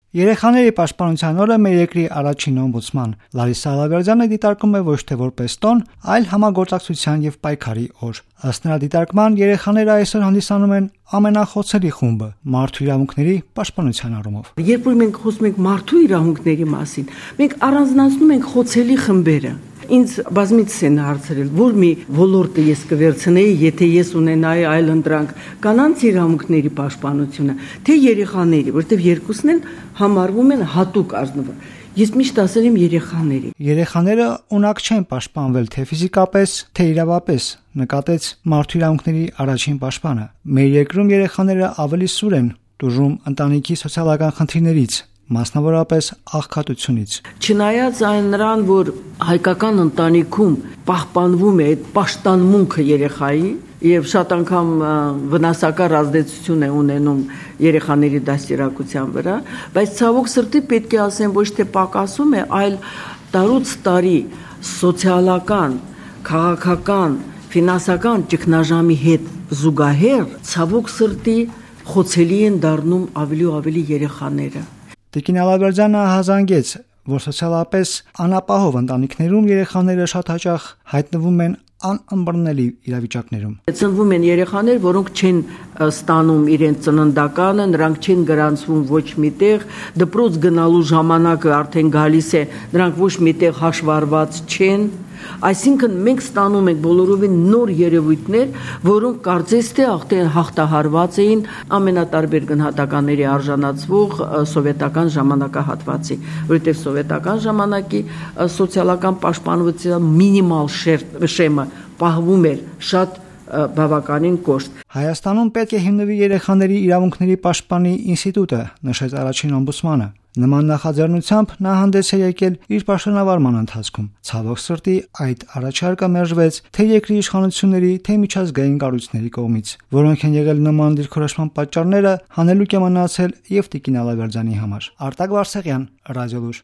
Երեխաների պաշտպանության օրը մեր երկրի առաջին օմբուդսման Լարիսա Ալավերդյանը դիտարկում է ոչ թե որպես տոն, այլ համագործակցության եւ պայքարի օր։ Ըստ նրա դիտարկման, երեխաները այսօր հանդիսանում են ամենախոցելի խումբը մարդու իրավունքների պաշտպանության առումով։ Երբ որ մենք խոսում ենք մարդու իրավունքների մասին, մենք առանձնացնում ենք խոցելի խմբերը։ Ինձ բազմիցս են հարցրել, որ մի ոլորտը ես կվերցնեի, եթե ես ունենայի այլընտրանք, կանանց իրավունքների պաշտպանությունը, թե երեխաների, որտեղ երկուսն են համարվում են հատուկ ազնվող։ Ես միշտ ասել եմ երեխաների։ Երեխաները ունակ չեն պաշտպանվել թե ֆիզիկապես, թե իրավապես, նկատեց մարդու իրավունքների առաջին պաշտպանը։ Մեր երկրում երեխաները ավելի սուր են տուժում ընտանիքի սոցիալական խնդիրներից, մասնավորապես աղքատությունից։ Չնայած այն նրան, որ հայկական ընտանիքում պահպանվում է այդ պաշտամունքը երեխայի եւ շատ անգամ վնասակար ազդեցություն է ունենում երեխաների դաստիարակության վրա, բայց ցավոք սրտի պետք է ասեմ, ոչ թե պակասում է, այլ տարուց տարի սոցիալական, քաղաքական, ֆինանսական ճգնաժամի հետ զուգահեռ ցավոք սրտի խոցելի են դառնում ավելի ու ավելի երեխաները։ Տիկին Ալավերդյանը հազանգեց, որ սոցիալապես անապահով ընտանիքներում երեխաները շատ հաճախ հայտնվում են անըմբռնելի իրավիճակներում։ Ծնվում են երեխաներ, որոնք չեն ստանում իրենց ծննդականը, նրանք չեն գրանցվում ոչ միտեղ, դպրոց գնալու ժամանակը արդեն գալիս է, նրանք ոչ միտեղ հաշվառված չեն։ Այսինքն մենք ստանում ենք բոլորովին նոր երևույթներ, որոնք կարծես թե հաղթահարված էին ամենատարբեր գնահատականների արժանացվող սովետական ժամանակահատվածի, որովհետև սովետական ժամանակի սոցիալական պաշտպանության մինիմալ շեմը պահվում էր շատ բավականին կոշտ։ Հայաստանում պետք է հիմնվի երեխաների իրավունքների պաշտպանի ինստիտուտը, նշեց առաջին օմբուդսմանը։ Նման նախաձեռնությամբ նա հանդես է եկել իր պաշտոնավարման ընթացքում։ Ցավոք սրտի այդ առաջարկը մերժվեց թե երկրի իշխանությունների, թե միջազգային կառույցների կողմից, որոնք են եղել նման դիրքորոշման պատճառները հանելուկ է մնացել եւ տիկին Ալավերդյանի համար։ Արտակ Վարսեղյան, Ռադիոլուր։